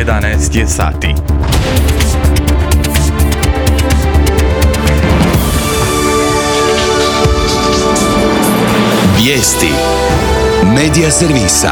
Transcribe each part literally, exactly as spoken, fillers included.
jedanaest je sati. Vijesti Medija servisa.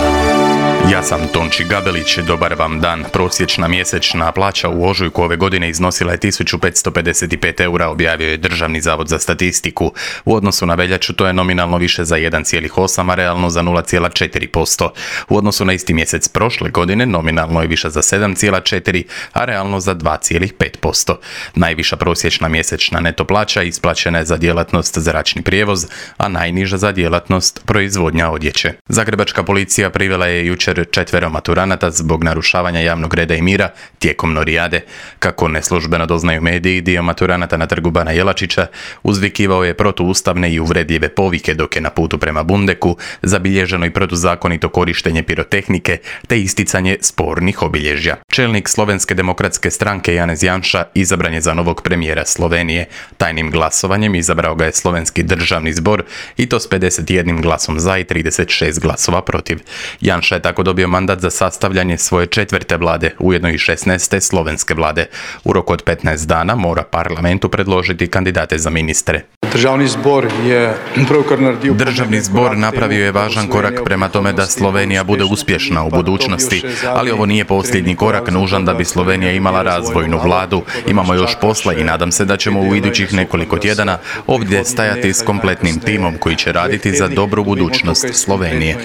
Ja sam Tonči Gabelić, dobar vam dan. Prosječna mjesečna plaća u ožujku ove godine iznosila je tisuću petsto pedeset pet eura, objavio je Državni zavod za statistiku. U odnosu na veljaču to je nominalno više za jedan zarez osam, a realno za nula zarez četiri posto. U odnosu na isti mjesec prošle godine nominalno je više za sedam zarez četiri, a realno za dva zarez pet posto. Najviša prosječna mjesečna neto plaća isplaćena je za djelatnost zračni prijevoz, a najniža za djelatnost proizvodnja odjeće. Zagrebačka policija privela je jučer četvero maturanata zbog narušavanja javnog reda i mira tijekom norijade. Kako neslužbeno doznaju mediji, dio maturanata na trgu Bana Jelačića uzvikivao je protuustavne i uvredljive povike dok je na putu prema Bundeku zabilježeno i protuzakonito korištenje pirotehnike te isticanje spornih obilježja. Čelnik Slovenske demokratske stranke Janez Janša izabran je za novog premijera Slovenije. Tajnim glasovanjem izabrao ga je Slovenski državni zbor i to s pedeset jednim glasom za i trideset šest glasova protiv. Janša je tako dobio mandat za sastavljanje svoje četvrte vlade, ujedno i šesnaeste slovenske vlade. U roku od petnaest dana mora parlamentu predložiti kandidate za ministre. Državni zbor je Državni zbor napravio je važan korak prema tome da Slovenija bude uspješna u budućnosti, ali ovo nije posljednji korak nužan da bi Slovenija imala razvojnu vladu. Imamo još posla i nadam se da ćemo u idućih nekoliko tjedana ovdje stajati s kompletnim timom koji će raditi za dobru budućnost Slovenije.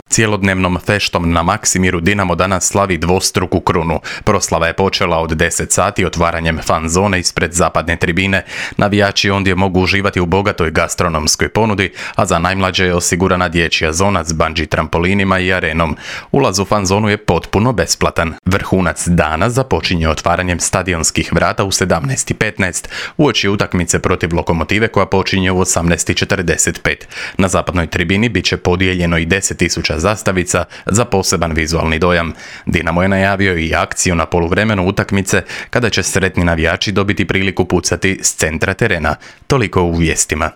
Cijelodnevnom feštom na Maksimiru Dinamo danas slavi dvostruku krunu. Proslava je počela od deset sati otvaranjem fan zone ispred zapadne tribine. Navijači ondje mogu uživati u bogatoj gastronomskoj ponudi, a za najmlađe je osigurana dječja zona s bungee trampolinima i arenom. Ulaz u fan zonu je potpuno besplatan. Vrhunac dana započinje otvaranjem stadionskih vrata u sedamnaest i petnaest uoči utakmice protiv Lokomotive koja počinje u osamnaest i četrdeset pet. Na zapadnoj tribini bit će podijeljeno i deset tisuća zastavica za poseban vizualni dojam. Dinamo je najavio i akciju na poluvremenu utakmice kada će sretni navijači dobiti priliku pucati s centra terena. Toliko u vijestima.